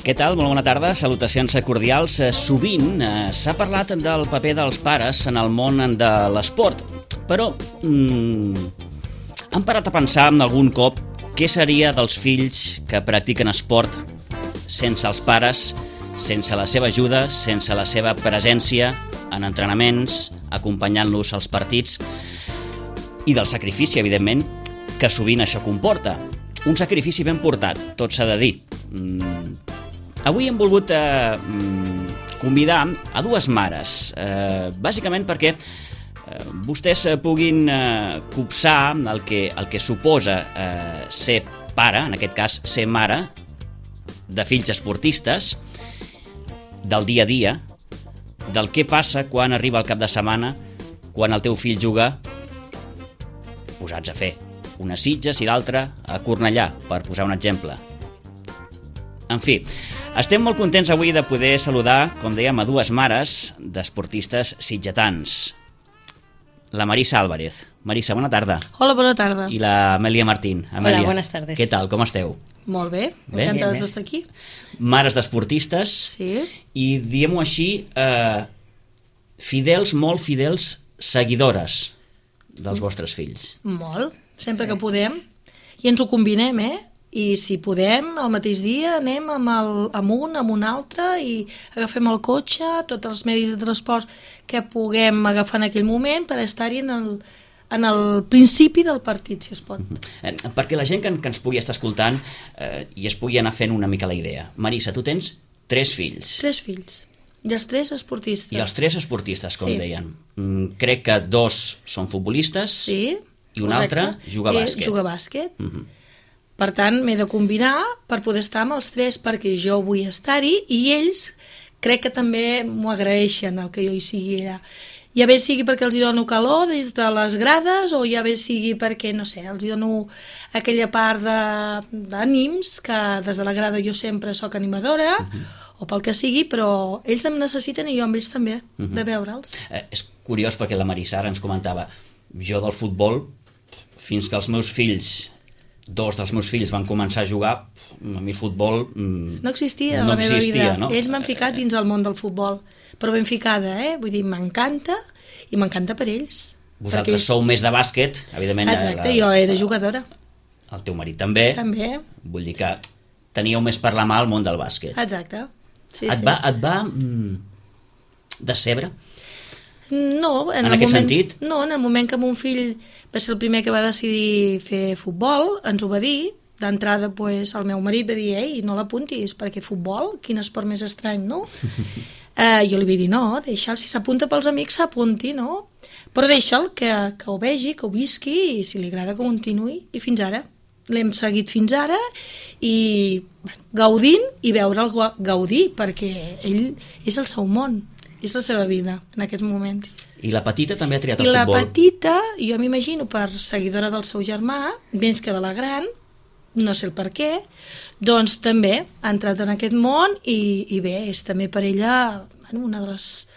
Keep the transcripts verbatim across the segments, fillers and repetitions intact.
Què tal? Molt bona tarda, salutacions cordials. Sovint eh, s'ha parlat del paper dels pares en el món de l'esport, però mm, han parat a pensar algun cop què seria dels fills que practiquen esport sense els pares, sense la seva ajuda, sense la seva presència en entrenaments, acompanyant-los als partits, i del sacrifici, evidentment, que sovint això comporta. Un sacrifici ben portat, tot s'ha de dir. Mm. Avui hem volgut eh, convidar a dues mares, eh, bàsicament perquè eh, vostès puguin eh, copsar el que, el que suposa eh, ser pare, en aquest cas ser mare, de fills esportistes, del dia a dia, del què passa quan arriba el cap de setmana, quan el teu fill juga posats a fer una Sitges i l'altra a Cornellà, per posar un exemple. En fi, estem molt contents avui de poder saludar, com dèiem, a dues mares d'esportistes sitgetans. La Marisa Álvarez. Marisa, bona tarda. Hola, bona tarda. I la Amèlia Martín. Amèlia, hola, buenas tardes. Què tal, com esteu? Molt bé, bé encantades d'estar aquí. Mares d'esportistes. Sí. I, diguem-ho així, eh, fidels, molt fidels seguidores dels vostres fills. Molt, sempre Sí. que podem. I ens ho combinem, eh? I si podem, el mateix dia anem amb, el, amb un, amb un altre i agafem el cotxe, tots els medis de transport que puguem agafar en aquell moment per estar-hi en el, en el principi del partit, si es pot. Eh, perquè la gent que, que ens pugui estar escoltant eh, i es pugui anar fent una mica la idea. Marisa, tu tens tres fills. Tres fills. I els tres esportistes. I els tres esportistes, com Sí. deien. Mm, crec que dos són futbolistes Sí, i un correcte. altre juga a Eh, bàsquet. Juga a bàsquet. Uh -huh. Per tant, m'he de combinar per poder estar amb els tres, perquè jo vull estar-hi i ells crec que també m'ho agraeixen, el que jo hi sigui allà. Ja bé sigui perquè els hi dono calor des de les grades o ja bé sigui perquè, no sé, els hi dono aquella part d'ànims que des de la grada jo sempre sóc animadora, uh -huh. o pel que sigui, però ells em necessiten i jo amb ells també, uh -huh. de veure'ls. Eh, és curiós perquè la Marisa ara ens comentava, jo del futbol, fins que els meus fills, dos dels meus fills van començar a jugar, a mi futbol mm, No existia no a la meva existia, vida. no? Ells m'han ficat dins el món del futbol, però ben ficada, eh? Vull dir, m'encanta i m'encanta per ells. Vosaltres ells... sou més de bàsquet, evidentment. Exacte, la... jo era jugadora. El teu marit també. També. Vull dir que teníeu més per la mà al món del bàsquet. Exacte. Sí, et, sí. va, et va mm, decebre? No, en, En el aquest moment, sentit? No, en el moment que mon fill va ser el primer que va decidir fer futbol, ens ho va dir. D'entrada, pues, el meu marit va dir, ei, no l'apuntis, perquè futbol, quin esport més estrany, no? eh, jo li vaig dir, no, deixa'l, si s'apunta pels amics, s'apunti, no? Però deixa'l que, que ho vegi, que ho visqui, i si li agrada que continuï, i fins ara. L'hem seguit fins ara, i bueno, gaudint, i veure'l gaudir, perquè ell és el seu món, és la seva vida, en aquests moments. I la petita també ha triat I el la futbol? petita, jo m'imagino per seguidora del seu germà, menys que de la gran, no sé el per què, doncs també ha entrat en aquest món i, i bé, és també per ella bueno, una de les,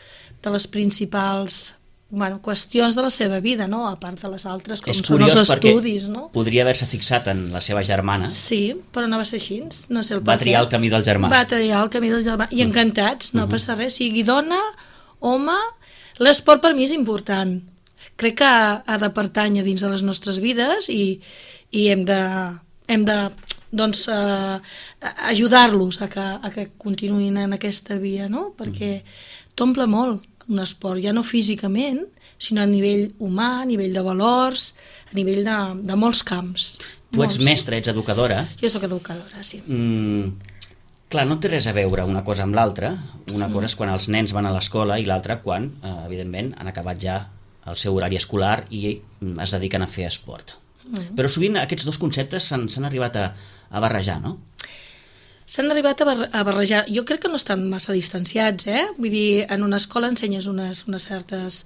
de les principals bueno, qüestions de la seva vida, no? A part de les altres, com és són els curiós estudis, no? Podria haver-se fixat en la seva germana. Sí, però no va ser així, no sé el Va per triar què. el camí del germà. Va triar el camí del germà, i encantats, no Uh-huh. passa res, sigui dona, home, l'esport per mi és important. Crec que ha de pertànyer dins de les nostres vides i, i hem de, hem de doncs, eh, ajudar-los a que, a que continuïn en aquesta via, no? Perquè t'omple molt un esport, ja no físicament, sinó a nivell humà, a nivell de valors, a nivell de, de molts camps. Tu ets molts. mestra, ets educadora. Jo sóc educadora, sí. Mm, clar, no té res a veure una cosa amb l'altra. Una cosa és quan els nens van a l'escola i l'altra quan, eh, evidentment, han acabat ja el seu horari escolar i mm, es dediquen a fer esport. Mm. Però sovint aquests dos conceptes s'han arribat a, a barrejar, no? S'han arribat a, bar a barrejar. Jo crec que no estan massa distanciats, eh? Vull dir, en una escola ensenyes unes, unes certes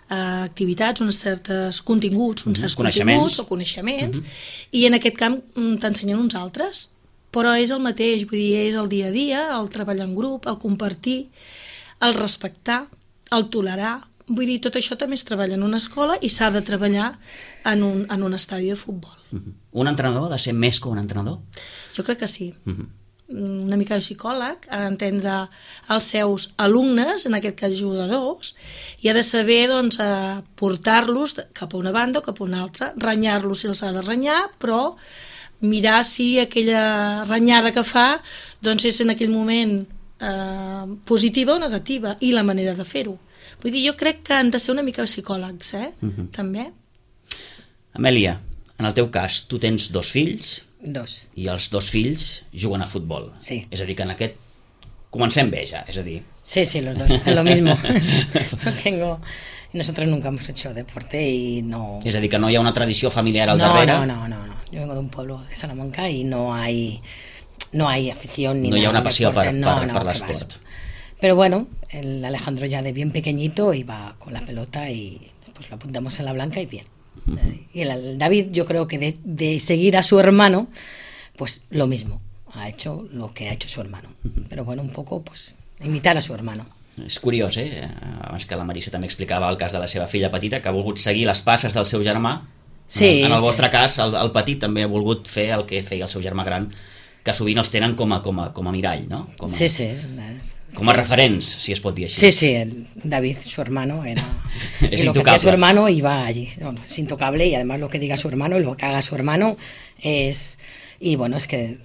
eh, activitats, uns certs continguts, uns certs Coneixements. continguts o coneixements, mm-hmm. i en aquest camp mm, t'ensenyen uns altres. Però és el mateix, vull dir, és el dia a dia, el treballar en grup, el compartir, el respectar, el tolerar. Vull dir, tot això també es treballa en una escola i s'ha de treballar en un, en un estadi de futbol. Mm-hmm. Un entrenador ha de ser més que un entrenador? Jo crec que sí. Mm-hmm. una mica de psicòleg, ha d'entendre els seus alumnes, en aquest cas jugadors, i ha de saber doncs, portar-los cap a una banda o cap a una altra, renyar-los si els ha de renyar, però mirar si aquella renyada que fa doncs, és en aquell moment eh, positiva o negativa, i la manera de fer-ho. Vull dir, jo crec que han de ser una mica psicòlegs, eh? Uh-huh. També. Amèlia, en el teu cas, tu tens dos fills. Dos. I els dos fills juguen a futbol. Sí. És a dir, que en aquest comencem bé ja, és a dir... Sí, sí, los dos hacen lo mismo. No tengo... Nosotros nunca hemos hecho deporte y no... És a dir, que no hi ha una tradició familiar al no, darrere? No, no, no, no. Yo vengo de un pueblo de Salamanca y no hay, no hay afición ni no nada. hi ha una passió per, no, per, no, per l'esport. Pero bueno, el Alejandro ya de bien pequeñito iba con la pelota y pues lo apuntamos en la blanca y bien. Uh-huh. Y el David, yo creo que de, de seguir a su hermano, pues lo mismo, ha hecho lo que ha hecho su hermano. Uh-huh. Pero bueno, un poco, pues, imitar a su hermano. És curiós, eh? Abans que la Marisa també explicava el cas de la seva filla petita, que ha volgut seguir les passes del seu germà. Sí, en el sí. vostre cas, el, el petit també ha volgut fer el que feia el seu germà gran, que sovint els tenen com a, com a, com a mirall, no? Com a, sí, sí. Es, com a referents, si es pot dir així. Sí, sí, el David, su hermano, era... es y lo intocable. que hacía su hermano iba allí. Bueno, es intocable y además lo que diga su hermano y lo que haga su hermano es... Y bueno, es que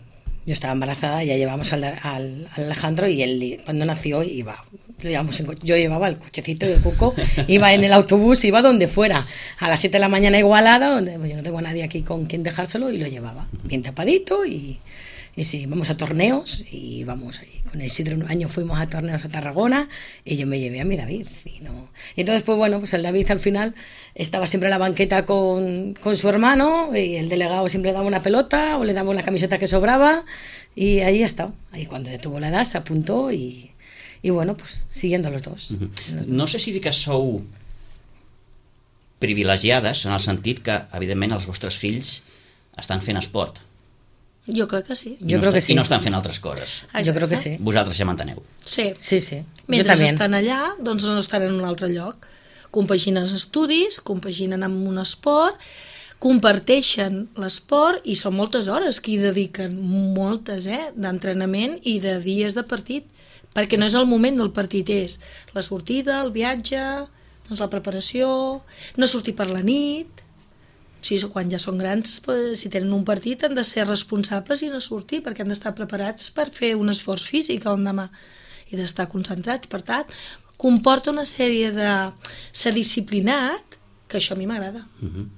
yo estaba embarazada, ya llevamos al, al, al Alejandro y él cuando nació iba... Lo llevamos en co- yo llevaba el cochecito de Cuco, iba en el autobús, iba donde fuera, a las siete de la mañana Igualada, donde pues, yo no tengo a nadie aquí con quien dejárselo, y lo llevaba bien tapadito y... Y sí, vamos a torneos y vamos ahí. Con Isidro un año fuimos a torneos a Tarragona y yo me llevé a mi David. Y, no. y entonces, pues bueno, pues el David al final estaba siempre en la banqueta con, con su hermano y el delegado siempre le daba una pelota o le daba una camiseta que sobraba y ahí ha estado. Ahí cuando ya tuvo la edad se apuntó y, y bueno, pues siguiendo los dos. Uh-huh. los dos. No sé si dir que sou privilegiades en el sentit que, evidentment, els vostres fills estan fent esport. Jo crec que sí. I Jo no crec està, que sí. I no estan fent altres coses. Exacte. Jo crec que sí. Vosaltres ja m'enteneu. Sí. Sí, sí. Mentre jo també. estan allà, doncs no estan en un altre lloc. Compaginen els estudis, compaginen amb un esport, comparteixen l'esport i són moltes hores que hi dediquen, moltes, eh, d'entrenament i de dies de partit, perquè no és el moment del partit, és la sortida, el viatge, doncs la preparació, no sortir per la nit... Sí, quan ja són grans, pues, si tenen un partit han de ser responsables i no sortir perquè han d'estar preparats per fer un esforç físic el demà i d'estar concentrats. Per tant, comporta una sèrie de ser disciplinat, que això a mi m'agrada. Uh-huh.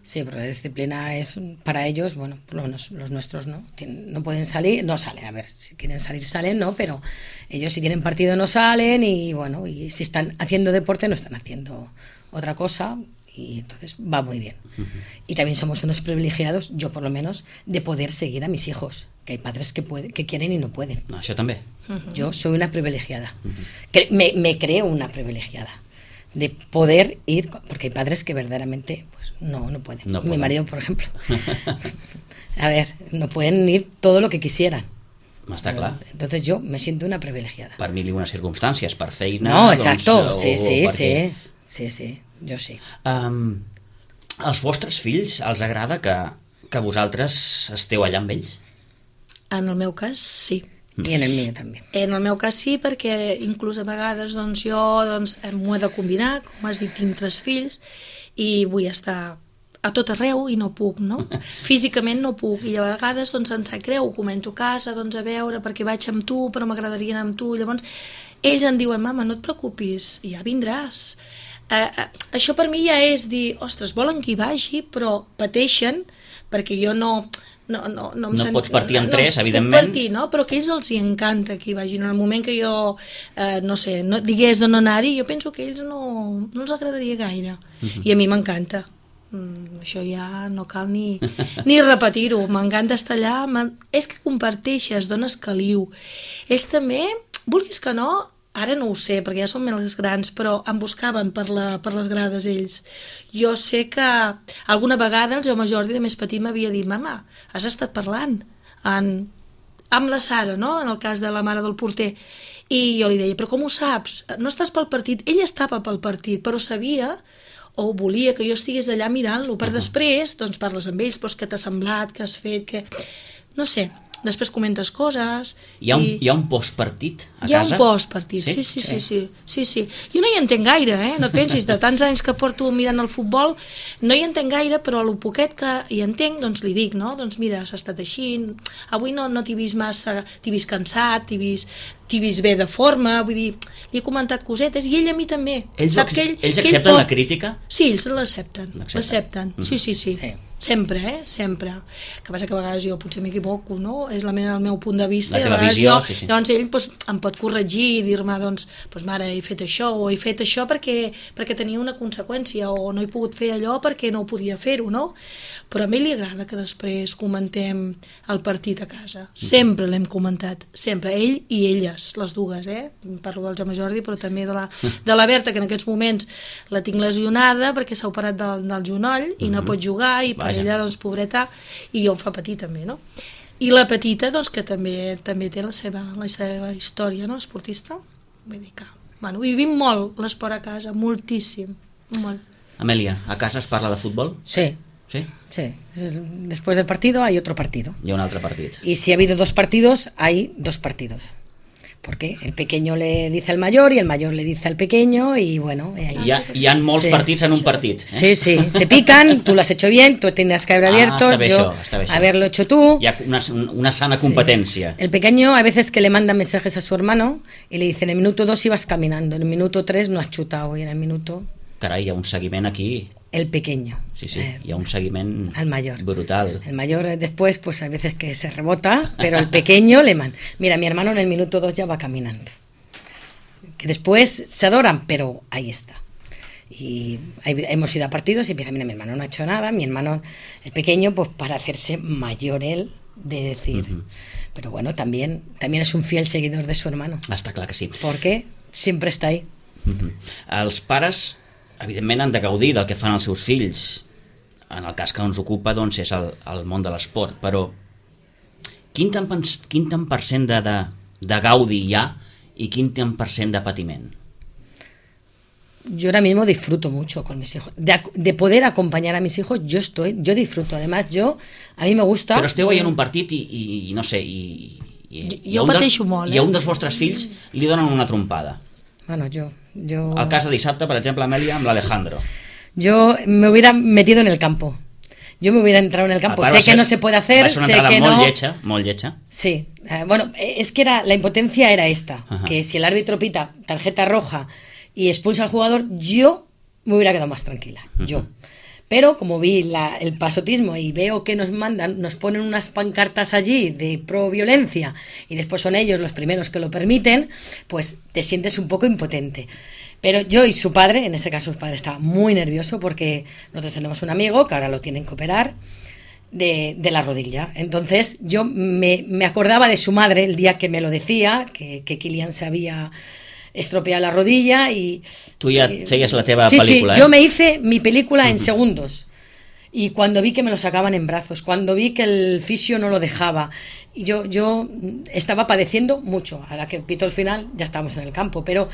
Sí, pero la disciplina es para ellos, bueno, por lo menos los nuestros no, Tien, no pueden salir, no salen, a ver, si quieren salir salen, no, pero ellos si tienen partido no salen y bueno, y si están haciendo deporte no están haciendo otra cosa. Y entonces va muy bien. Uh-huh. Y también somos unos privilegiados, yo por lo menos, de poder seguir a mis hijos, que hay padres que, puede, que quieren y no pueden. No, això també. Uh-huh. Yo soy una privilegiada. Uh-huh. Cre- me, me creo una privilegiada de poder ir, porque hay padres que verdaderamente pues, no, no pueden. No Mi pueden. marido, por ejemplo. A ver, no pueden ir todo lo que quisieran. Està clar. Entonces yo me siento una privilegiada. Per mil i unes circumstàncies, per feina... No, exacto, doncs, sí, o, sí, o perquè... sí, sí, sí, jo sí. Um, als vostres fills els agrada que, que vosaltres esteu allà amb ells? En el meu cas, sí. I en el mío també. En el meu cas sí, perquè inclús a vegades doncs, jo doncs, m'ho he de combinar, com has dit, tinc tres fills i vull estar a tot arreu i no puc, no? Físicament no puc i a vegades doncs, em sap greu, ho comento a casa, doncs a veure perquè vaig amb tu però m'agradaria anar amb tu, llavors ells em diuen, mama, no et preocupis, ja vindràs. Uh, uh, això per mi ja és dir, ostres, volen que hi vagi però pateixen perquè jo no... No, no, no, em No sent, pots partir en no, tres, no, evidentment. Puc partir, no? Però que ells els hi encanta que hi vagin. En el moment que jo, eh, no sé, no, digués de no anar-hi, jo penso que a ells no, no els agradaria gaire. Uh-huh. I a mi m'encanta. Mm, això ja no cal ni, ni repetir-ho. M'encanta estar allà. És que comparteixes, dones caliu. Ells també, vulguis que no, ara no ho sé, perquè ja són més grans, però em buscaven per, la, per les grades ells. Jo sé que alguna vegada el Jaume Jordi, de més petit, m'havia dit, mama, has estat parlant en, amb la Sara, no?, en el cas de la mare del porter. I jo li deia, però com ho saps? No estàs pel partit? Ell estava pel partit, però sabia o volia que jo estigués allà mirant-lo, per després, doncs parles amb ells, però què t'ha semblat, què has fet, què... No sé, després comentes coses... Hi ha un, i... hi ha un postpartit a hi ha casa? un postpartit, sí? Sí, sí, sí, sí, sí, sí. Jo no hi entenc gaire, eh? No et pensis, de tants anys que porto mirant el futbol, no hi entenc gaire, però a lo poquet que hi entenc, doncs li dic, no? Doncs mira, s'ha estat així, avui no, no t'hi vist massa, t'hi vist cansat, t'hi vist, t'hi vist bé de forma, vull dir, li he comentat cosetes, i ell a mi també. Ells, Sap que ell, ells que accepten ell pot... la crítica? Sí, ells l'accepten, L'accepten. l'accepten, sí, sí, sí. Sí. Sempre, eh? Sempre. Que passa que a vegades jo potser m'equivoco, no? És la meva, el meu punt de vista. La i a teva vegades visió, jo, sí, sí. Llavors ell doncs, em pot corregir i dir-me, doncs, doncs, mare, he fet això, o he fet això perquè, perquè tenia una conseqüència, o no he pogut fer allò perquè no podia fer-ho, no? Però a mi li agrada que després comentem el partit a casa. Sempre l'hem comentat, sempre. Ell i elles, les dues, eh? Parlo del Jaume Jordi, però també de la, de la Berta, que en aquests moments la tinc lesionada perquè s'ha operat del, del genoll i no pot jugar, i per Vaja. ella, doncs, pobreta, i jo em fa patir també, no? I la petita, doncs, que també també té la seva, la seva història, no?, esportista. Vull dir que, bueno, vivim molt l'esport a casa, moltíssim, molt. Amèlia, a casa es parla de futbol? Sí, Sí? sí. Después del partido hay otro partido. Hi ha un altre partit. Y si ha habido dos partidos, hay dos partidos. Porque el pequeño le dice al mayor y el mayor le dice al pequeño y bueno... y ahí- Hi ha, hi ha molts Sí. partits en un partit. Eh? Sí, sí, se pican, tú lo has hecho bien, tú tendrías que haber Ah, abierto, está bien yo eso, está bien eso. haberlo hecho tú. Hi ha una, una sana competència. El pequeño a veces que le manda mensajes a su hermano y le dice, en el minuto dos ibas caminando, en el minuto tres no has chutado y en el minuto... Carai, hi ha un seguiment aquí. El pequeño. Sí, sí, Eh, hi ha un seguiment al mayor. brutal. El mayor eh, después, pues a veces que se rebota, pero el pequeño le manda. Mira, mi hermano en el minuto dos ya va caminando. Que después se adoran, pero ahí está. Y hay- hemos ido a partidos y empieza, mira, mi hermano no ha hecho nada, mi hermano, el pequeño, pues para hacerse mayor él, de decir. Ujú. Pero bueno, también, también es un fiel seguidor de su hermano, Està clar que sí. porque siempre está ahí. Mhm. Els pares, evidentment, han de gaudir del que fan els seus fills. En el cas que ens ocupa, doncs, és el, el món de l'esport. Però quin tant, pens- quin tant per cent de, de, de gaudi hi ha i quin tant per cent de patiment? Yo ahora mismo disfruto mucho con mis hijos. De, ac- de poder acompañar a mis hijos, yo estoy, yo disfruto. Además, yo, a mí me gusta... Però esteu veient un partit i, i, i no sé, i, i, Jo- i, a jo un dels, pateixo molt, eh? i a un dels vostres fills li donen una trompada. Bueno, yo... yo... El cas de dissabte, per exemple, Amèlia, amb l'Alejandro. Yo me hubiera metido en el campo. Yo me hubiera entrado en el campo. A part, Sé va ser- que no se puede hacer, va ser una sé entrada que molt no... lletja, molt lletja. Sí, eh, bueno, eh, es que era la impotencia era esta, Ajá. que si el árbitro pita tarjeta roja y expulsa al jugador, yo me hubiera quedado más tranquila, yo. Pero como vi la- el pasotismo y veo que nos mandan, nos ponen unas pancartas allí de pro violencia y después son ellos los primeros que lo permiten, pues te sientes un poco impotente. Pero yo y su padre, en ese caso su padre estaba muy nervioso porque nosotros tenemos un amigo que ahora lo tienen que operar de, de la rodilla. Entonces yo me, me acordaba de su madre el día que me lo decía, que, que Kylian se había estropeado la rodilla y... Tu ja y- feies la teva sí, pel·lícula, sí, eh? yo me hice mi película en segundos. Y cuando vi que me lo sacaban en brazos, cuando vi que el fisio no lo dejaba, y yo, yo estaba padeciendo mucho. A la que pito el final ya estábamos en el campo, pero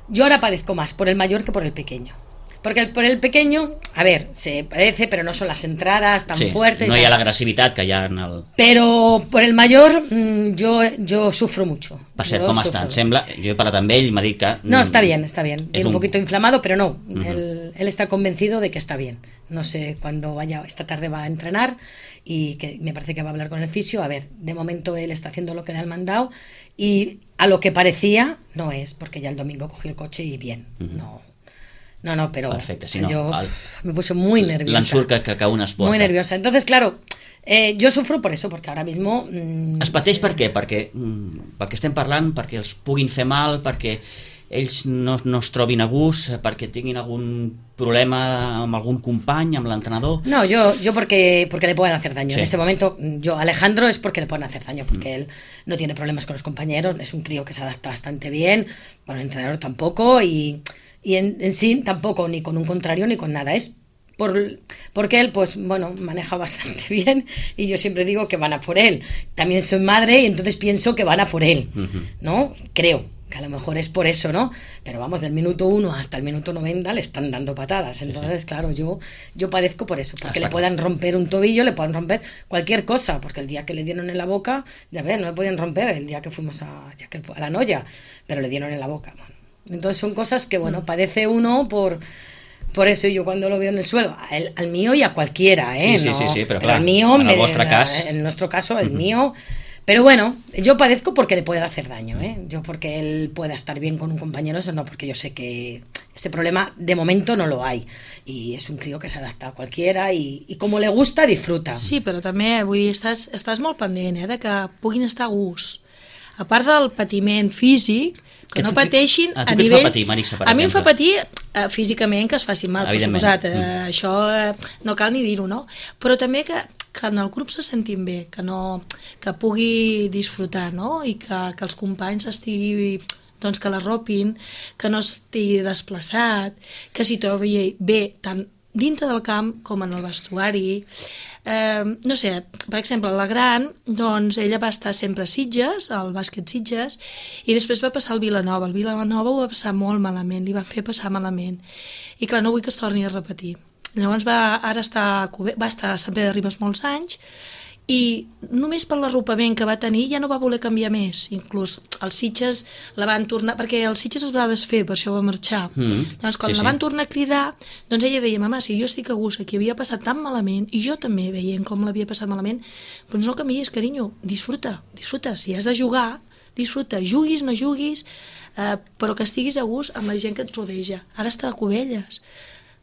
yo ahora padezco más por el mayor que por el pequeño. Porque el, por el pequeño, a ver, se padece, pero no son las entradas tan Sí, fuertes. y no hi ha tal. l'agressivitat que hi ha en el... Pero por el mayor, mm, yo, yo sufro mucho. Per cert, Yo com sufro. està? Em sembla, jo he parlat amb ell i m'ha dit que... No, está bien, está bien. Es Tiene un un- poquito inflamado, pero no. Ujú. él, él está convencido de que está bien. No sé cuándo vaya, esta tarde va a entrenar y que me parece que va a hablar con el fisio. A ver, de momento él está haciendo lo que le han mandado y a lo que parecía no es, porque ya el domingo cogió el coche y bien. Ujú. No, no, no, pero Perfecte, si no, yo el- me puse muy nerviosa. L'ensurt que, que, que un es porta. Muy nerviosa. Entonces, claro, eh, yo sufro por eso, porque ahora mismo... mm, Es pateix per què? Perquè, mm, perquè estem parlant, perquè els puguin fer mal, perquè ells no, no es trobin a gust, perquè tinguin algun problema amb algun company, amb l'entrenador... No, yo, yo porque, porque le pueden hacer daño. Sí. En este momento, yo, Alejandro, es porque le pueden hacer daño, porque él no tiene problemas con los compañeros, es un crío que se adapta bastante bien, bueno, el entrenador tampoco, y, y en, en sí tampoco, ni con un contrario ni con nada. Es por, porque él, pues, bueno, maneja bastante bien, y yo siempre digo que van a por él. También soy madre, y entonces pienso que van a por él, Ujú. ¿no? Creo. que a lo mejor es por eso, ¿no? Pero vamos, del minuto uno hasta el minuto noventa le están dando patadas. Entonces, sí, sí. claro, yo, yo padezco por eso, porque hasta le puedan romper un tobillo, le puedan romper cualquier cosa, porque el día que le dieron en la boca, ya ves, no le podían romper el día que fuimos a, ya que, a la Noya, pero le dieron en la boca. Bueno, entonces son cosas que, bueno, padece uno por... Por eso yo cuando lo veo en el suelo, al, al mío y a cualquiera, ¿eh? Sí, sí, no, sí, sí, pero, pero clar, al mío, en el me, vostre cas... en nuestro caso, el uh-huh. mío... Pero bueno, yo padezco porque le puede hacer daño, ¿eh? Yo porque él pueda estar bien con un compañero, eso no, porque yo sé que ese problema de momento no lo hay. I és un crio que s'adapta a qualquiera i, i com le gusta, disfruta. Sí, però també, vull dir, estàs, estàs molt pendent, eh, de que puguin estar a gust. A part del patiment físic, que, que no pateixin a, a nivell... Fa patir, Marissa, per a mi em fa exemple. patir eh, físicament que es facin mal, per suposat. Eh, mm. Això eh, no cal ni dir-ho, no? Però també que, que en el grup se sentin bé, que, no, que pugui disfrutar, no? I que, que els companys estigui... doncs que l'arropin, que no estigui desplaçat, que s'hi trobi bé tant dintre del camp com en el vestuari. Eh, no sé, per exemple, la gran, doncs ella va estar sempre a Sitges, al bàsquet Sitges, i després va passar al Vilanova. El Vilanova ho va passar molt malament, li van fer passar malament. I clar, no vull que es torni a repetir. Llavors va, ara està, va estar a Sant Pere de Ribes molts anys, i només per l'arropament que va tenir ja no va voler canviar més. Inclús els Sitges la van tornar, perquè els Sitges es va desfer, per això va marxar. Mm, doncs quan sí, la van sí. tornar a cridar, doncs ella deia, mama, si jo estic a gust, aquí havia passat tan malament, i jo també veient com l'havia passat malament, doncs no canvies, carinyo, disfruta, disfruta, si has de jugar, disfruta, juguis, no juguis, eh, però que estiguis a gust amb la gent que et rodeja. Ara està a Cubelles.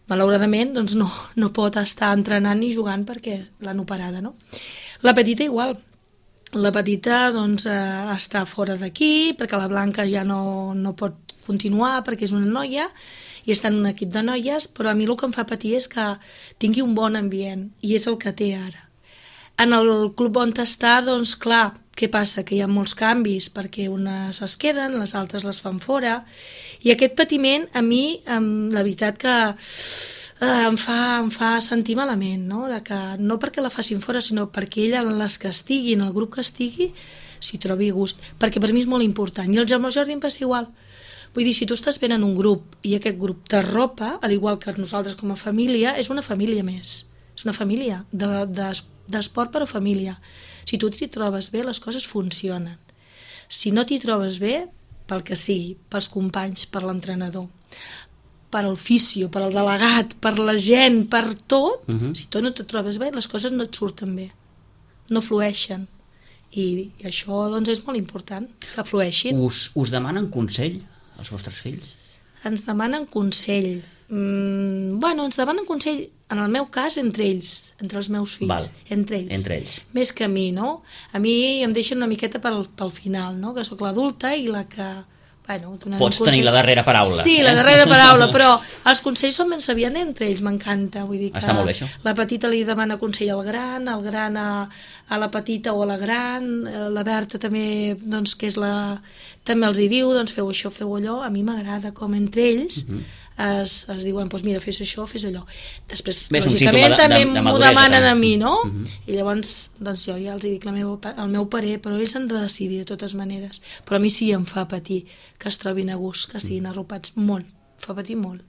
Malauradament, doncs no, no pot estar entrenant ni jugant perquè l'han operada, no? La petita igual. La petita doncs, eh, està fora d'aquí perquè la Blanca ja no, no pot continuar perquè és una noia i està en un equip de noies, però a mi el que em fa patir és que tingui un bon ambient i és el que té ara. En el club on està, doncs clar, què passa? Que hi ha molts canvis perquè unes es queden, les altres les fan fora i aquest patiment a mi, la veritat que em fa, em fa sentir malament, no? De que, no perquè la facin fora, sinó perquè ella, en les que estigui, en el grup que estigui, s'hi trobi gust, perquè per mi és molt important. I el Jaume Jordi em passa igual. Vull dir, si tu estàs ben en un grup i aquest grup t'arropa, al igual que nosaltres com a família, és una família més. És una família de, de, d'esport però família. Si tu t'hi trobes bé, les coses funcionen. Si no t'hi trobes bé, pel que sigui, pels companys, per l'entrenador, per al fisio, per al delegat, per la gent, per tot, uh-huh. si tu no te trobes bé, les coses no et surten bé, no flueixen. I, i això doncs, és molt important, que flueixin. Us, us demanen consell, els vostres fills? Ens demanen consell. Mm, bueno, ens demanen consell, en el meu cas, entre ells, entre els meus fills. Val. Entre ells. Entre ells. Més que a mi, no? A mi em deixen una miqueta pel, pel final, no? Que sóc l'adulta i la que... Bueno, pots tenir la darrera paraula. Sí, eh? la darrera paraula, però els consells són ben sabients entre ells, m'encanta. Vull dir que està molt bé, això. La petita li demana consell al gran, el gran a, a la petita o a la gran, la Berta també, doncs, que és la... també els hi diu, doncs feu això, feu allò. A mi m'agrada com entre ells uh-huh. es, es diuen, doncs mira, fes això, fes allò. Després, bé, lògicament, de, també de, de m'ho demanen també. a mi, no? Uh-huh. I llavors, doncs jo ja els dic la meva, el meu parer, però ells han de decidir de totes maneres. Però a mi sí em fa patir que es trobin a gust, que estiguin arropats molt, fa patir molt.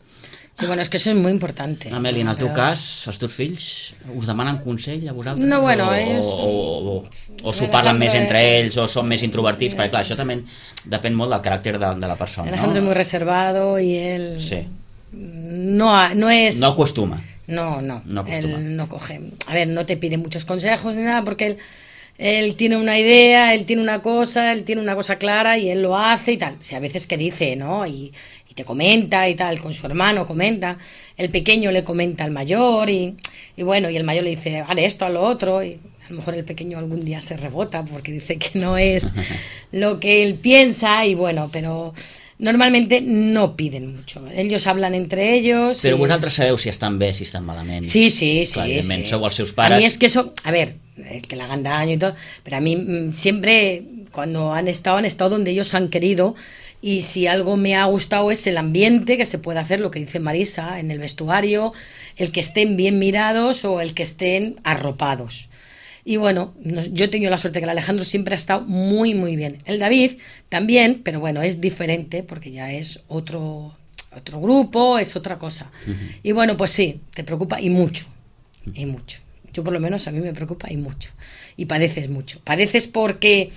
Sí, bueno, es que eso es muy importante. Amèlia, en el teu però... cas, els teus fills us demanen consell a vosaltres? No, bueno, o, és... o, o, o, o s'ho parlen més entre ells, o són més introvertits, perquè clar, això també depèn molt del caràcter de, de la persona, Alejandro ¿no? es muy reservado y él... Sí. No, no es... No acostuma. No, no, no acostuma. Él no coge... A ver, no te pide muchos consejos ni nada, porque él... Él tiene una idea, él tiene una cosa, él tiene una cosa clara y él lo hace y tal. O sea, a veces que dice, ¿no? Y, y te comenta y tal, con su hermano comenta. El pequeño le comenta al mayor y, y bueno, y el mayor le dice, haré esto, a lo otro. Y a lo mejor el pequeño algún día se rebota porque dice que no es lo que él piensa y bueno, pero... Normalmente no piden mucho. Ellos hablan entre ellos. Però y... vosaltres sabeu si estan bé, si estan malament. Sí, sí, sí. Clar, evidentment, sí. Sou els seus pares. A mí es que eso, a ver, que le hagan daño y todo, pero a mí siempre, cuando han estado, han estado donde ellos han querido, y si algo me ha gustado es el ambiente que se puede hacer, lo que dice Marisa, en el vestuario, el que estén bien mirados o el que estén arropados. Y bueno, yo he tenido la suerte que el Alejandro siempre ha estado muy, muy bien. El David también, pero bueno, es diferente porque ya es otro, otro grupo, es otra cosa. Uh-huh. Y bueno, pues sí, te preocupa y mucho, y mucho. Yo por lo menos a mí me preocupa y mucho. Y padeces mucho. Padeces porque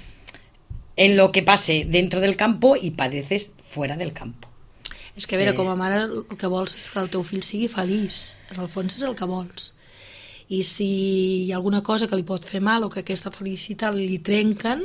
en lo que pase dentro del campo y padeces fuera del campo. És que a veure, sí. Com a mare el que vols és que el teu fill sigui feliç. En el fons és el que vols. I si hi ha alguna cosa que li pot fer mal o que aquesta felicitat li trenquen,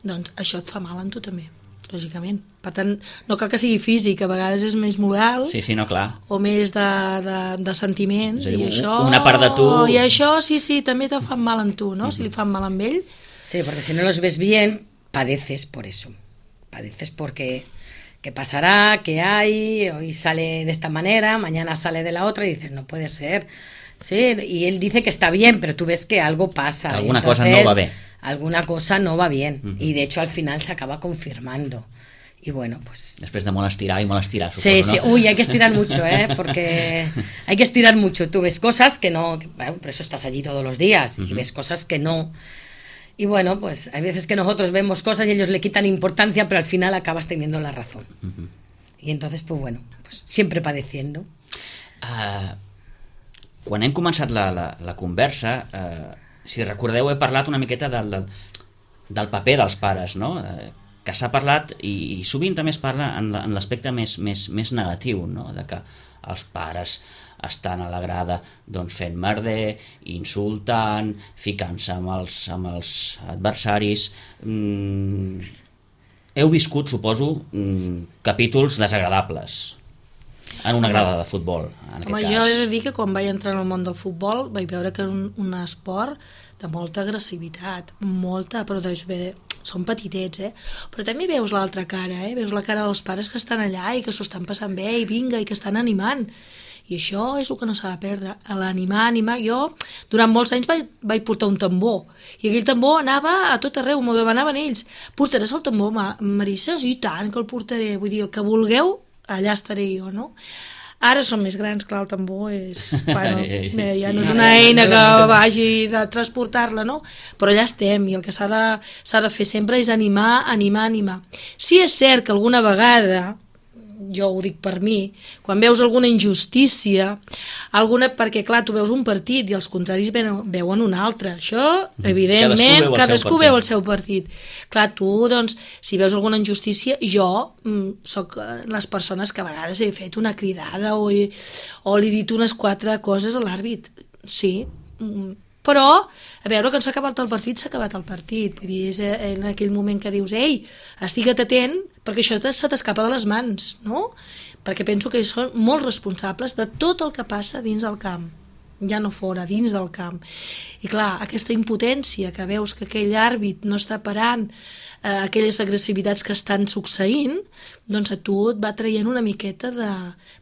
doncs això et fa mal en tu també, lògicament. Per tant, no cal que sigui físic, a vegades és més moral, sí, sí, no, clar. O més de, de, de sentiments. És a dir, i això, una part de tu... I això, sí, sí, també te fan mal en tu, no? Uh-huh. Si li fan mal amb ell... Sí, porque si no los ves bien, padeces por eso. Padeces porque... ¿Qué pasará? ¿Qué hay? Hoy sale de esta manera, mañana sale de la otra y dices, no puede ser. Sí, y él dice que está bien, pero tú ves que algo pasa. Que alguna Entonces, cosa no va bien. Alguna cosa no va bien. Uh-huh. Y de hecho al final se acaba confirmando. Y bueno, pues... Després de molt estirar i molt estirar, suposo, sí, ¿no? Sí, uy, hay que estirar mucho, ¿eh? Porque hay que estirar mucho. Tú ves cosas que no... Que, bueno, por eso estás allí todos los días. Uh-huh. Y ves cosas que no... Y bueno, pues hay veces que nosotros vemos cosas y ellos le quitan importancia, pero al final acabas teniendo la razón. Uh-huh. Y entonces, pues bueno, pues siempre padeciendo. Uh, quan hem començat la, la, la conversa, uh, si recordeu, he parlat una miqueta del, del, del paper dels pares, no? Uh, que s'ha parlat, i, i sovint també es parla en l'aspecte més, més, més negatiu, no? De que els pares estan a la grada doncs, fent merder, insultant, ficant-se amb els, amb els adversaris. Mm, heu viscut, suposo, mm, capítols desagradables en una grada de futbol, en aquest Home, cas. jo he de dir que quan vaig entrar en el món del futbol vaig veure que era un, un esport de molta agressivitat, molta, però doncs bé, són petitets, eh? Però també veus l'altra cara, eh? Veus la cara dels pares que estan allà i que s'ho estan passant bé i vinga, i que estan animant. I això és el que no s'ha de perdre, l'animar, animar. Jo durant molts anys vaig, vaig portar un tambor i aquell tambor anava a tot arreu, m'ho demanaven ells. Portaràs el tambor, Marissa? I tant que el portaré, vull dir, el que vulgueu, allà estaré jo, no? Ara som més grans, clar, el tambor és... Bueno, ja no és una eina que vagi de transportar-la, no? Però allà estem i el que s'ha de, s'ha de fer sempre és animar, animar, animar. Sí és cert que alguna vegada, jo ho dic per mi, quan veus alguna injustícia, alguna, perquè clar, tu veus un partit i els contraris veuen un altre, això evidentment cadascú, cadascú veu el seu partit. Clar, tu doncs, si veus alguna injustícia, jo mm, soc les persones que a vegades he fet una cridada o, he, o li he dit unes quatre coses a l'àrbit, sí, mm, però, a veure, que s'ha acabat el partit, s'ha acabat el partit. Vull dir, és en aquell moment que dius, ei, estigue't atent, perquè això se t'escapa de les mans, no? Perquè penso que són molt responsables de tot el que passa dins del camp, ja no fora, dins del camp. I clar, aquesta impotència que veus que aquell àrbit no està parant eh, aquelles agressivitats que estan succeint, doncs a tu et va traient una miqueta de,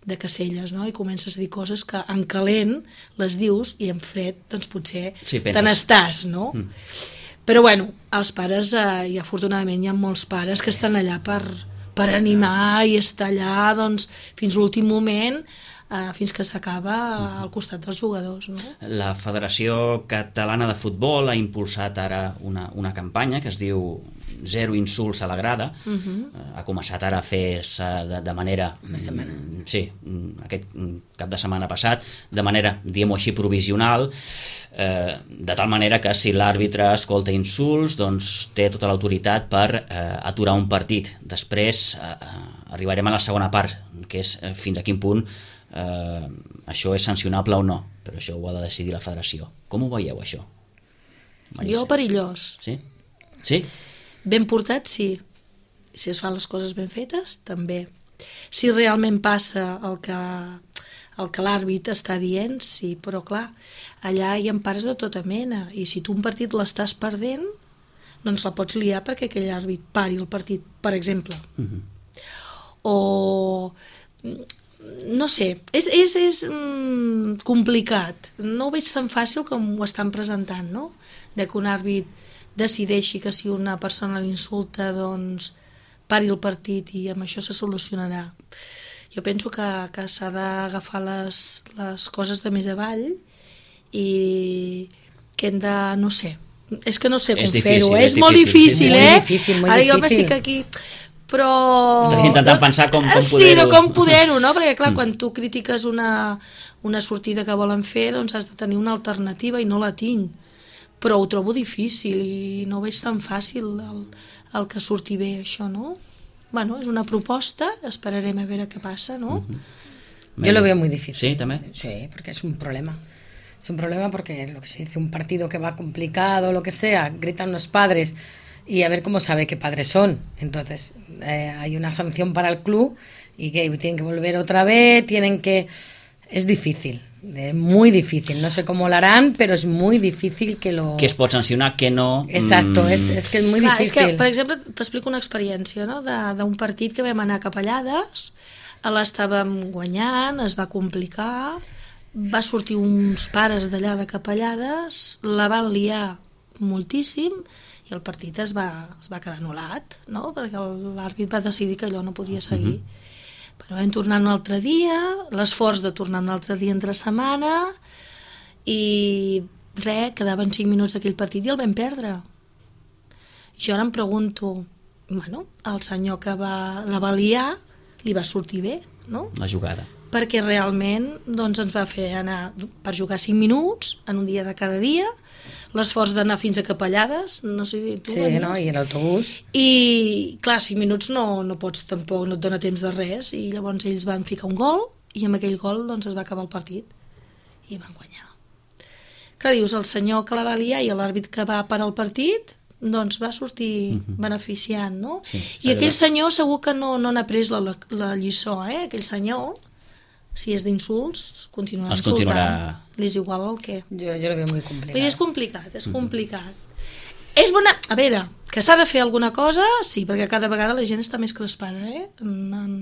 de caselles, no? I comences a dir coses que en calent les dius i en fred doncs potser sí, te n'estàs, no? Mm. Però bueno, els pares, eh, i afortunadament hi ha molts pares que estan allà per, per animar i estar allà doncs, fins l'últim moment, eh, fins que s'acaba al costat dels jugadors, no? La Federació Catalana de Futbol ha impulsat ara una, una campanya que es diu Zero insults a la grada. Uh-huh. Ha començat ara a fer-se de, de manera... Una setmana. Sí, aquest cap de setmana passat, de manera, diguem-ho així, provisional, eh, de tal manera que si l'àrbitre escolta insults, doncs té tota l'autoritat per eh, aturar un partit. Després eh, arribarem a la segona part, que és eh, fins a quin punt eh, això és sancionable o no, però això ho ha de decidir la federació. Com ho veieu, això? Marissa? Jo perillós. Sí? Sí? Ben portat, sí. Si es fan les coses ben fetes, també. Si realment passa el que, el que l'àrbit està dient, sí, però clar, allà hi ha pares de tota mena, i si tu un partit l'estàs perdent, doncs la pots liar perquè aquell àrbit pari el partit, per exemple. Uh-huh. O... no sé, és, és, és mm, complicat. No ho veig tan fàcil com ho estan presentant, no? De que un àrbit decideixi que si una persona l'insulta, doncs pari el partit i amb això se solucionarà. Jo penso que, que s'ha d'agafar les, les coses de més avall i que hem de, no sé, és que no sé com difícil, fer-ho, és és molt difícil. difícil, Muy eh? difícil, muy Ara jo difícil. m'estic aquí, però... Estàs intentant pensar com, com Sí, poder-ho... de com poder-ho, no? Perquè, clar, quan tu critiques una, una sortida que volen fer, doncs has de tenir una alternativa i no la tinc. Però ho trobo difícil i no ho veig tan fàcil el, el que surti bé, això, no? Bueno, és una proposta, esperarem a veure què passa, ¿no? Uh-huh. Yo lo veo muy difícil. Sí, también. Sí, porque es un problema. Es un problema porque lo que se dice, un partido que va complicado, lo que sea, gritan los padres y a ver cómo sabe qué padres son. Entonces, eh, hay una sanción para el club y que tienen que volver otra vez, tienen que... Es difícil, es muy difícil. No sé cómo lo harán, pero es muy difícil que lo... Què es pot sancionar, què no... Exacto, Mm, es, es que es muy Clar, és difícil. que, per exemple, t'explico una experiència, no?, de- d'un partit que vam anar a Capellades, l'estàvem guanyant, es va complicar, va sortir uns pares d'allà de Capellades, la van liar moltíssim i el partit es va, es va quedar anul·lat, no?, perquè l'àrbit va decidir que allò no podia seguir. Uh-huh. Però vam tornar un altre dia, l'esforç de tornar un altre dia entre setmana, i res, quedaven cinc minuts d'aquell partit i el vam perdre. Jo ara em pregunto, bueno, el senyor que va, la va liar li va sortir bé, no? La jugada. Perquè realment doncs, ens va fer anar per jugar cinc minuts en un dia de cada dia, l'esforç d'anar fins a Capellades, no sé si tu Sí, venies. ¿no? Y el autobús. I clar, cinc minuts no, no pots tampoc, no et dona temps de res, i llavors ells van ficar un gol i amb aquell gol doncs, es va acabar el partit i van guanyar. Clar, dius, el senyor que la va liar i l'àrbit que va parar el partit doncs va sortir uh-huh. beneficiant, no? Sí, I aquell senyor segur que no, no n'ha pres la, la, la lliçó, eh? Aquell senyor, si és d'insults, continuarà Es insultant. continuarà- Li és igual el què. Yo, yo lo veo muy Vull complicado. dir, és complicat, és complicat. És bona... A veure, que s'ha de fer alguna cosa, sí, perquè cada vegada la gent està més crespada, eh? En, en,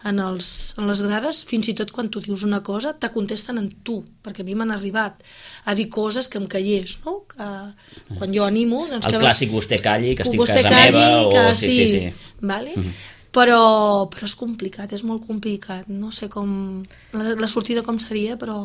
en, els, en les grades, fins i tot quan tu dius una cosa, te contesten en tu, perquè a mi m'han arribat a dir coses que em callés, no? Que quan jo animo... Doncs El que, clàssic vostè calli, que estic a vostè casa calli, meva, o... que Sí, sí, sí. Vale? Mhm. Però, però és complicat, és molt complicat. No sé com... La, la sortida com seria, però,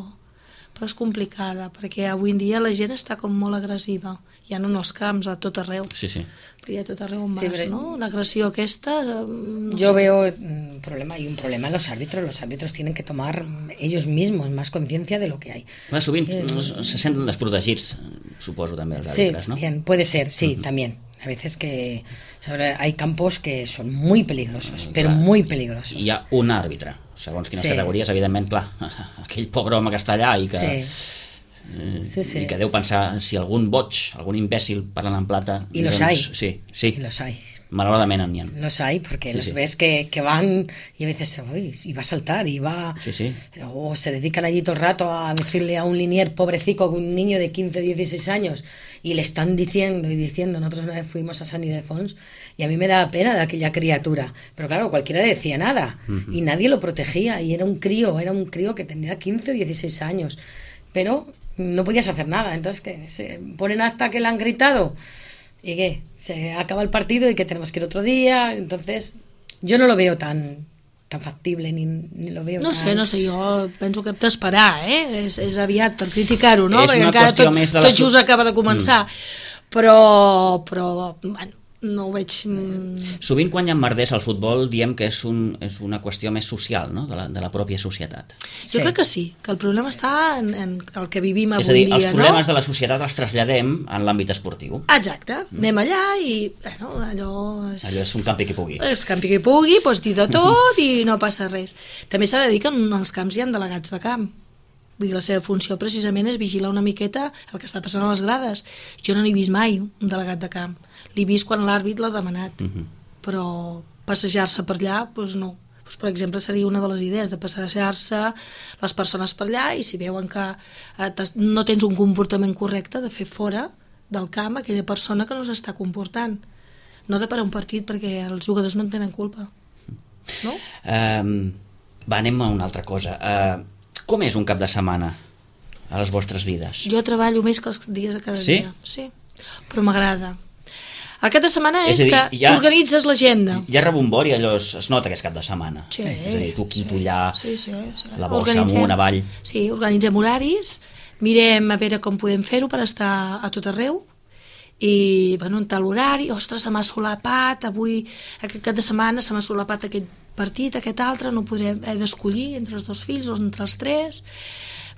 però és complicada, perquè avui en dia la gent està com molt agressiva. Ja no en els camps, a tot arreu. Sí, sí. Perquè a tot arreu on vas, Sí, però- no? L'agressió aquesta... eh, No Yo sé. veo un problema, hay un problema en los árbitros. Los árbitros tienen que tomar ellos mismos más conciencia de lo que hay. Clar, sovint se senten desprotegits, suposo, també, els Sí, àrbitres, no? bien, puede ser, sí, también. A veces que sobre, hay campos que son muy peligrosos, pero Clar. muy peligrosos. Hi ha un àrbitre, segons quines Sí. categories, evidentment, clar, aquell pobre home que està allà i que, Sí. eh, Sí, sí. i que deu pensar si algun boig, algun imbècil parlant en plata... I los doncs, hay. Sí, sí, Y los hay. malauradament n'hi ha. Los hay porque Sí, los sí. ves que, que van y a veces uy, y va a saltar y va... Sí, sí. O se dedican allí todo el rato a decirle a un linier pobrecico, un niño de quince, dieciséis años, y le están diciendo y diciendo. Nosotros una vez fuimos a San Ildefonso y a mí me daba pena de aquella criatura. Pero claro, cualquiera decía nada Ujú. y nadie lo protegía. Y era un crío, era un crío que tenía quince, dieciséis años. Pero no podías hacer nada. Entonces, que se ponen hasta que le han gritado. ¿Y qué? Se acaba el partido y que tenemos que ir otro día. Entonces, yo no lo veo tan tan factible ni, ni lo veo No tan... sé, no sé, jo penso que hem d'esperar, eh? És, és aviat per criticar-ho, no? És Perquè una encara qüestió tot, més de la tot so- just acaba de començar. Mm. Però, però, bueno, no ho veig... mm, Sovint quan hi ha merders al futbol diem que és, un, és una qüestió més social, no?, de la, de la pròpia societat. Jo Sí. crec que sí, que el problema està en, en el que vivim avui És a dir, dia, els problemes no? de la societat els traslladem en l'àmbit esportiu. Exacte, anem allà i, bueno, allò és... Allò és un campi que pugui. És campi que pugui, pots dir de tot i no passa res. També s'ha de dir que en els camps hi ha delegats de camp. Vull dir, la seva funció precisament és vigilar una miqueta el que està passant a les grades. Jo no n'he vist mai un delegat de camp. L'he vist quan l'àrbit l'ha demanat. Uh -huh. Però passejar-se per allà, doncs no. Doncs, per exemple, seria una de les idees de passejar-se les persones per allà i si veuen que eh, t'has- no tens un comportament correcte, de fer fora del camp aquella persona que no s'està comportant. No de parar un partit perquè els jugadors no en tenen culpa. No? Um, va, anem a una altra cosa. Uh, com és un cap de setmana a les vostres vides? Jo treballo més que els dies de cada Sí? dia. Sí? Però m'agrada. El cap de setmana és, És a dir, que ja- organitzes l'agenda. Hi ha rebombori, allò es, es nota que és cap de setmana. Sí. És a dir, tu aquí, tu allà, Sí, sí, sí. la bossa Organitzem- amunt, avall. Sí, organitzem horaris, mirem a veure com podem fer-ho per estar a tot arreu i bueno, en tal horari, ostres, se m'ha solapat, avui, aquest cap de setmana se m'ha solapat aquest partit, aquest altre, no podré, he d'escollir entre els dos fills o entre els tres,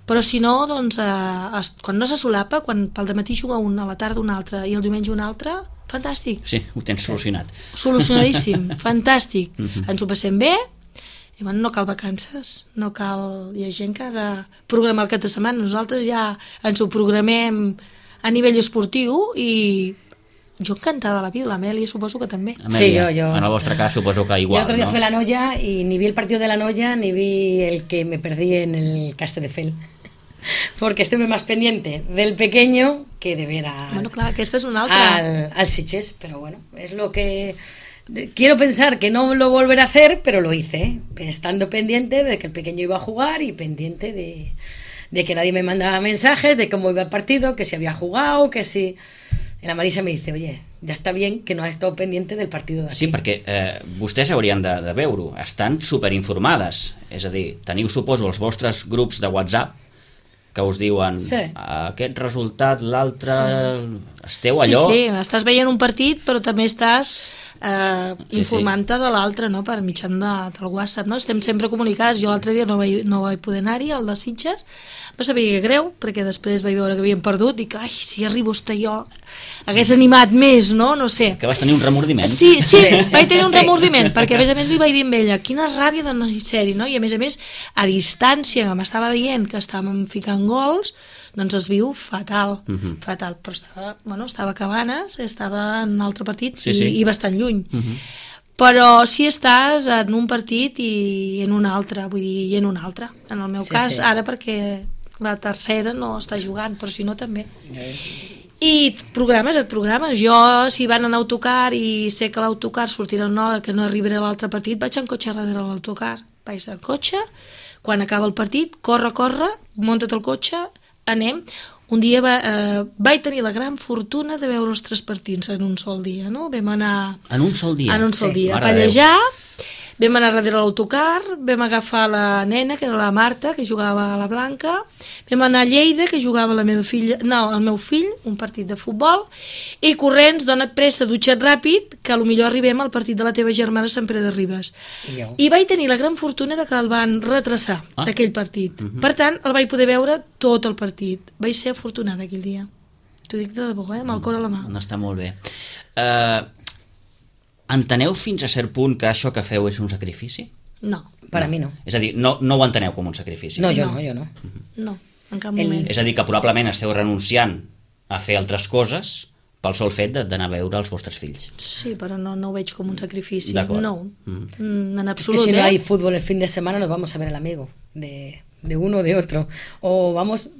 però si no, doncs, eh, quan no se solapa, quan pel dematí juga un, a la tarda un altre i el diumenge un altre, fantàstic. Sí, ho tens solucionat. Solucionadíssim, fantàstic. Mhm. Ens ho passem bé, i bueno, no cal vacances, no cal... Hi ha gent que ha de programar el cap de setmana, nosaltres ja ens ho programem a nivell esportiu i jo encantada de la vida, l'Amèlia suposo que també. Amèlia, Sí, yo, yo. en el vostre cas suposo que igual, Yo otro día no? fui a la Noya y ni vi el partido de la Noya ni vi el que me perdí en el Castelldefels. Porque estuve más pendiente del pequeño que de ver a, Bueno, clar, aquesta és una altra. al, al Sitges, pero bueno, es lo que... de- Quiero pensar que no lo volveré a hacer, pero lo hice, ¿eh? Estando pendiente de que el pequeño iba a jugar y pendiente de, de que nadie me mandaba mensajes de cómo iba el partido, que si había jugado, que si... Y la Marisa me dice, oye, ya está bien que no has estado pendiente del partido de aquí. Sí, perquè eh, vostès haurien de, de veure-ho, estan superinformades, és a dir, teniu, suposo, els vostres grups de WhatsApp que us diuen Sí. aquest resultat, l'altre... Sí. Esteu Sí, allò... sí, estàs veient un partit però també estàs eh, Sí, informant-te de l'altre, no?, per mitjan de, del WhatsApp, no? Estem sempre comunicats. Jo l'altre dia no vaig, no vaig poder anar-hi, al de Sitges, va saber greu, perquè després vaig veure que havien perdut, dic, ai, si arribo a estar jo, hagués animat més, no? No sé. Que vas tenir un remordiment. Sí, sí, Sí, sí, vaig tenir un sí. remordiment, perquè a més a més li vaig dir amb ella, quina ràbia de no ser-hi, no? I a més a més, a distància, que m'estava dient que estàvem ficant gols, doncs es viu fatal, Mhm. fatal, però estava, bueno, estava a Cabanes, estava en un altre partit Sí, i, sí. i bastant lluny. Mhm. Però si estàs en un partit i en un altre, vull dir, i en un altre. En el meu Sí, cas, sí. ara perquè la tercera no està jugant, però si no també. I programes, et programes. Jo, si van en autocar i sé que l'autocar sortirà una hora que no arribaré a l'altre partit, vaig en cotxe darrere l'autocar. Vaig en cotxe, quan acaba el partit, corre, corre, munta't el cotxe, anem. Un dia va, eh, vaig tenir la gran fortuna de veure els tres partits en un sol dia, no? Vam anar... En un sol dia? En un sol Sí. dia, a Mare de Déu. pallejar, vam anar darrere l'autocar, vam agafar la nena, que era la Marta, que jugava a la Blanca, vam anar a Lleida, que jugava la meva filla, no, el meu fill, un partit de futbol, i corrents, dona't pressa, dutxa't ràpid, que potser arribem al partit de la teva germana a Sant Pere de Ribes. I jo. I vaig tenir la gran fortuna de que el van retrasar, Ah. d'aquell partit. Per tant, el vaig poder veure tot el partit. Vaig ser afortunada aquell dia. T'ho dic de debò, eh? Amb el cor a la mà. No està molt bé. Uh, enteneu fins a cert punt que això que feu és un sacrifici? No, Para mí no. És a dir, no, no ho enteneu com un sacrifici? No, yo No. no, yo no. no, en cap El- moment. És a dir, que probablement esteu renunciant a fer altres coses pel sol fet de- d'anar a veure els vostres fills. Sí, però no, no ho veig com un sacrifici. D'acord. No, Mm. mm, en Es que absolut, si no eh? hay fútbol el fin de semana nos vamos a ver al amigo de, de uno o de otro. O vamos...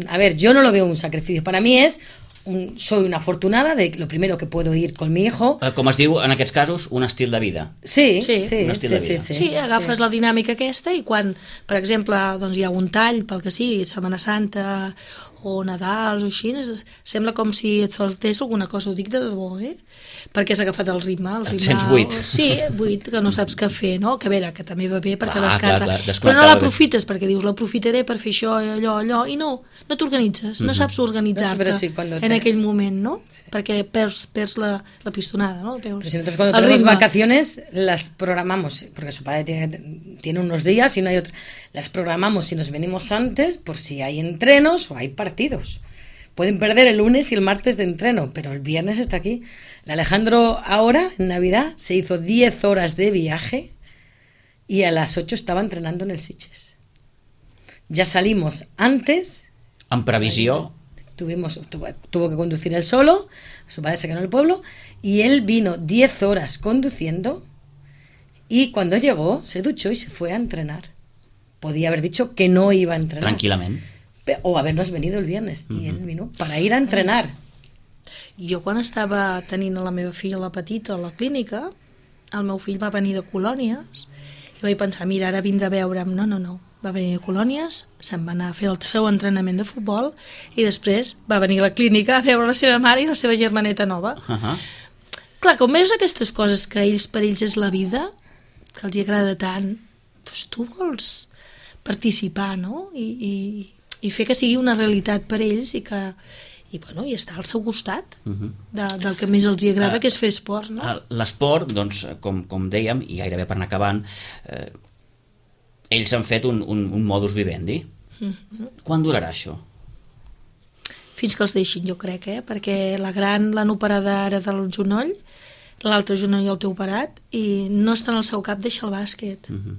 A ver, yo no lo veo un sacrificio. Para mí es... Un, soy una afortunada de lo primero que puedo ir con mi hijo. Eh, Com es diu, en aquests casos, un estil de vida. Sí, Sí. sí, Un estil sí, de sí, vida. sí, Sí, agafes sí. la dinàmica aquesta i quan, per exemple, doncs hi ha un tall, pel que sigui, Setmana Santa o Nadal o així, es- sembla com si et faltés alguna cosa, ho dic de debò, eh? Perquè has agafat el ritme. El Et ritme sents buit. Sí, buit, que no saps què fer, no? Que a veure, que també va bé perquè Clar, descansa. clar, clar, Però desconnectar no va bé. l'aprofites perquè dius, l'aprofitaré per fer això, allò, allò, i no, no t'organitzes, no saps organitzar-te No, sí, però sí, cuando en te- aquell moment, no? Perquè perds, perds la, la pistonada, no? Perds Pero si nosotros cuando el tenemos ritme. vacaciones las programamos, porque su padre tiene, tiene unos días y no hay otro. Las programamos si nos venimos antes por si hay entrenos o hay partidos. Pueden perder el lunes y el martes de entreno, pero el viernes está aquí. El Alejandro ahora, en Navidad, se hizo diez horas de viaje y a las ocho estaba entrenando en el Sitges. Ya salimos antes, En previsió... tuvimos, tuvo, tuvo que conducir él solo, su padre se quedó en el pueblo, y él vino diez horas conduciendo y cuando llegó se duchó y se fue a entrenar. Podía haber dicho que no iba a entrenar. Tranquil·lament. Pe- O habernos venido el viernes. Y él vino para ir a entrenar. Jo quan estava tenint a la meva filla la petita a la clínica, el meu fill va venir de colònies i vaig pensar, mira, ara vindrà a veure'm. No, no, no. Va venir de colònies, se'n va anar a fer el seu entrenament de futbol i després va venir a la clínica a veure la seva mare i la seva germaneta nova. Uh -huh. Clar, com veus aquestes coses que ells per ells és la vida, que els hi agrada tant, doncs tu vols participar, no? I, i, i fer que sigui una realitat per ells i que, i, bueno, i està al seu costat uh-huh. de, del que més els hi agrada, uh, que és fer esport, no? L'esport, doncs, com, com dèiem, i gairebé per anar acabant, eh, ells han fet un, un, un modus vivendi. Uh-huh. Quan durarà això? Fins que els deixin, jo crec, eh? Perquè la gran l'han operada ara del genoll, l'altre genoll el té operat, i no està en el seu cap deixar el bàsquet. Uh-huh.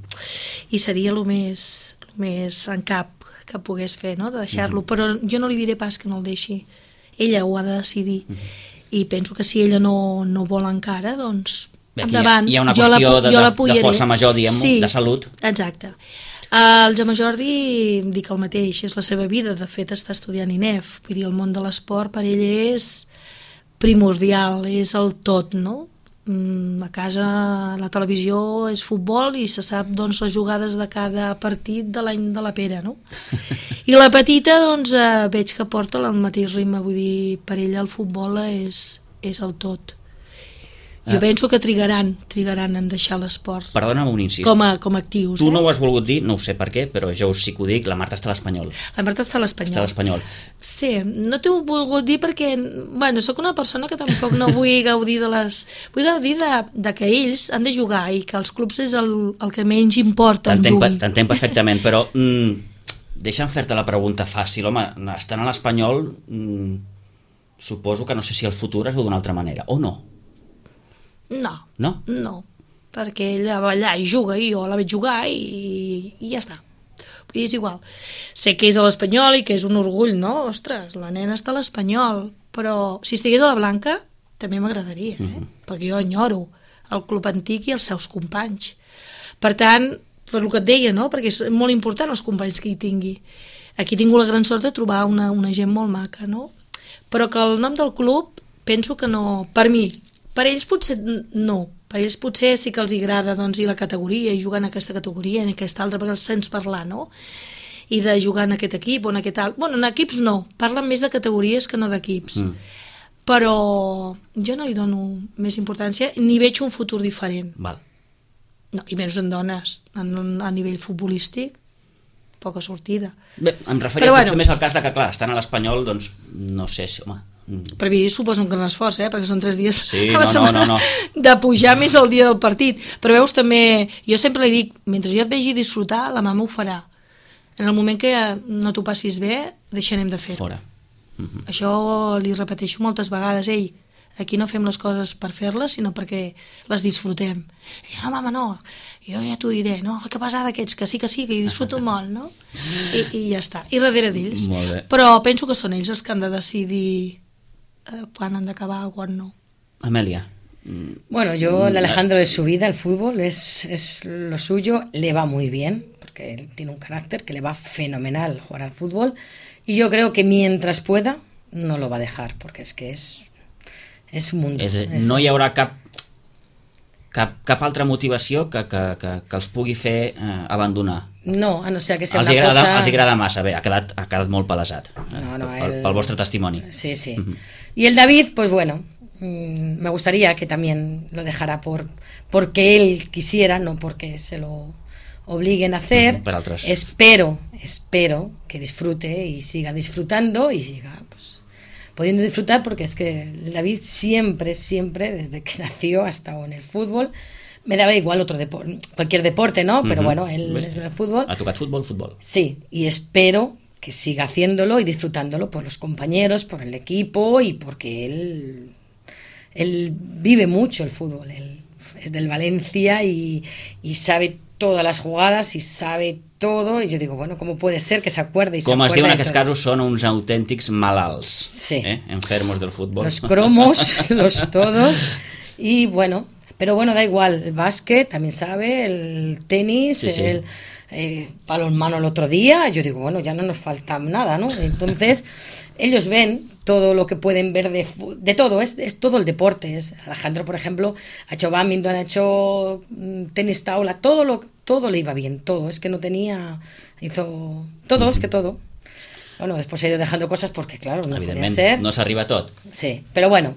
I seria el més, el més en cap que pogués fer, no?, de deixar-lo. Uh-huh. Però jo no li diré pas que no el deixi. Ella ho ha de decidir. Uh-huh. I penso que si ella no, no vol encara, doncs bé, endavant. Hi ha, hi ha una qüestió la, de, de, de força major, diguem, sí, de salut. Exacte. El Jaume Jordi, dic el mateix, és la seva vida. De fet, està estudiant I N E F. Vull dir, el món de l'esport per ell és primordial, és el tot, no? A casa la televisió és futbol i se sap, doncs, les jugades de cada partit de l'any de la pera, no? I la petita, doncs, eh, veig que porta el mateix ritme, vull dir, per ella el futbol és, és el tot. Jo penso que trigaran, trigaran en deixar l'esport. Perdona'm un incís. Com a, com a actius. Tu eh? no ho has volgut dir, no ho sé per què, però jo sí que ho dic, la Marta està a l'Espanyol. La Marta està a l'Espanyol. Està a l'Espanyol. Sí, no t'ho he volgut dir perquè, bueno, sóc una persona que tampoc no vull gaudir de les... Vull gaudir de, de que ells han de jugar i que els clubs és el, el que menys importa on juguin. T'entenc perfectament, però mm, deixa'm fer-te la pregunta fàcil. Home, estant a l'Espanyol, mm, suposo que no sé si el futur es veu d'una altra manera, o no? No, no, no, perquè ella va allà i juga i jo la veig jugar i, i ja està. Vull dir, és igual. Sé que és a l'Espanyol i que és un orgull, no? Ostres, la nena està a l'Espanyol, però si estigués a la Blanca també m'agradaria, eh? Uh-huh. Perquè jo enyoro el club antic i els seus companys. Per tant, per el que et deia, no? Perquè és molt important els companys que hi tingui. Aquí tinc la gran sort de trobar una, una gent molt maca, no? Però que el nom del club penso que no... Per mi, per ells potser no, per ells potser sí que els agrada, doncs, i la categoria, i jugar en aquesta categoria, en aquesta altra, perquè els sents parlar, no? I de jugar en aquest equip o en aquest alt... Bueno, en equips no, parlen més de categories que no d'equips. Mm. Però jo no li dono més importància, ni veig un futur diferent. Val. No, i menys en dones, en, a nivell futbolístic, poca sortida. Bé, em referia però, potser bueno, més al cas de que, clar, estan a l'Espanyol, doncs, no sé si, home... Per mi suposo un gran esforç, eh? Perquè són tres dies sí, a la no, setmana no, no, no. de pujar més el dia del partit. Però veus, també, jo sempre li dic, mentre jo et vegi disfrutar, la mama ho farà. En el moment que no t'ho passis bé, deixarem de fer-ho. Fora. Uh-huh. Això li repeteixo moltes vegades, ei, aquí no fem les coses per fer-les, sinó perquè les disfrutem. I no, mama, no, jo ja t'ho diré, no, que pesada aquests, que sí, que sí, que hi disfruto molt, no? I, i ja està, i darrere d'ells. Però penso que són ells els que han de decidir quan han d'acabar o quan no. Amelia. Bueno, yo, el Alejandro de su vida, el fútbol es, es lo suyo, le va muy bien, porque él tiene un carácter que le va fenomenal jugar al fútbol, y yo creo que mientras pueda, no lo va a dejar, porque es que es, es un mundo. És, és... No hi haurà cap, cap, cap altra motivació que, que, que, que els pugui fer eh, abandonar. No, a no ser que sea els una agrada, cosa... Els agrada massa, bé, ha quedat, ha quedat molt palesat, no, no, pel, el... pel vostre testimoni. Sí, sí. Uh-huh. Y el David, pues bueno, mmm, me gustaría que también lo dejara por porque él quisiera, no porque se lo obliguen a hacer. Uh-huh, per altres. Espero, espero que disfrute y siga disfrutando y siga, pues, pudiendo disfrutar, porque es que el David siempre, siempre, desde que nació, ha estado en el fútbol. Me daba igual otro deporte, cualquier deporte, ¿no? Pero uh-huh. bueno, él es el fútbol. Ha tocat fútbol, fútbol. Sí, y espero que siga haciéndolo y disfrutándolo por los compañeros, por el equipo y porque él, él vive mucho el fútbol. Él es del Valencia y, y sabe todas las jugadas y sabe todo. Y yo digo, bueno, ¿cómo puede ser que se acuerde y se Com acuerde? es diu en aquests casos, són uns autèntics malalts. Sí. Eh? Enfermos del fútbol. Los cromos, los todos. Y bueno... Pero bueno, da igual, el básquet también sabe, el tenis, sí, sí. el eh, balonmano el otro día. Yo digo, bueno, ya no nos falta nada, ¿no? Entonces, ellos ven todo lo que pueden ver de, de todo, es, es todo el deporte. Es, Alejandro, por ejemplo, ha hecho badminton, ha hecho tenis taula, todo, lo, todo le iba bien, todo. Es que no tenía, hizo todo, es que todo. Bueno, después ha ido dejando cosas porque, claro, no podía ser. No s'arriba a tot. Sí, pero bueno,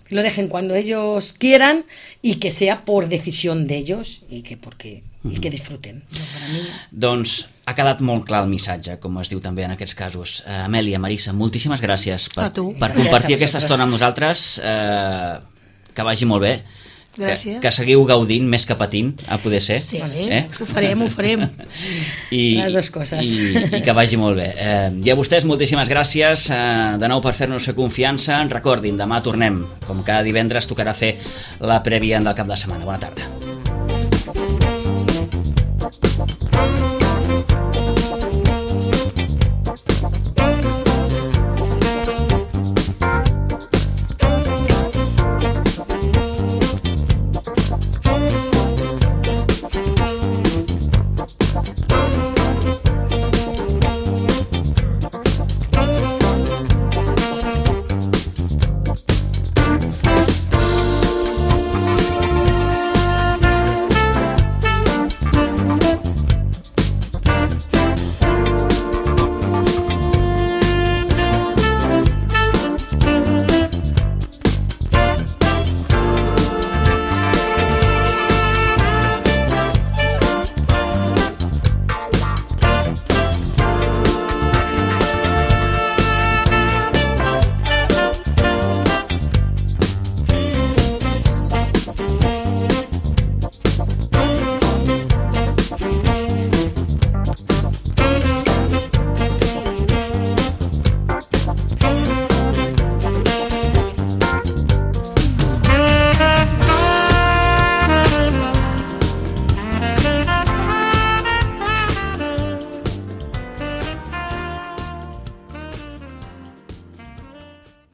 que lo dejen cuando ellos quieran y que sea por decisión de ellos y que porque y que disfruten. No, para mí... Doncs ha quedat molt clar el missatge, com es diu també en aquests casos. Uh, Amèlia, Marissa, moltíssimes gràcies per, per compartir aquesta estona amb nosaltres. Uh, que vagi molt bé. Gràcies. Que, que seguiu gaudint més que patint, a poder ser. Sí, eh? ho farem, ho farem. I, Les dues coses. I, i que vagi molt bé. Eh, I a vostès, moltíssimes gràcies eh, de nou per fer-nos fer confiança. Recordin, demà tornem. Com cada divendres tocarà fer la prèvia del cap de setmana. Bona tarda.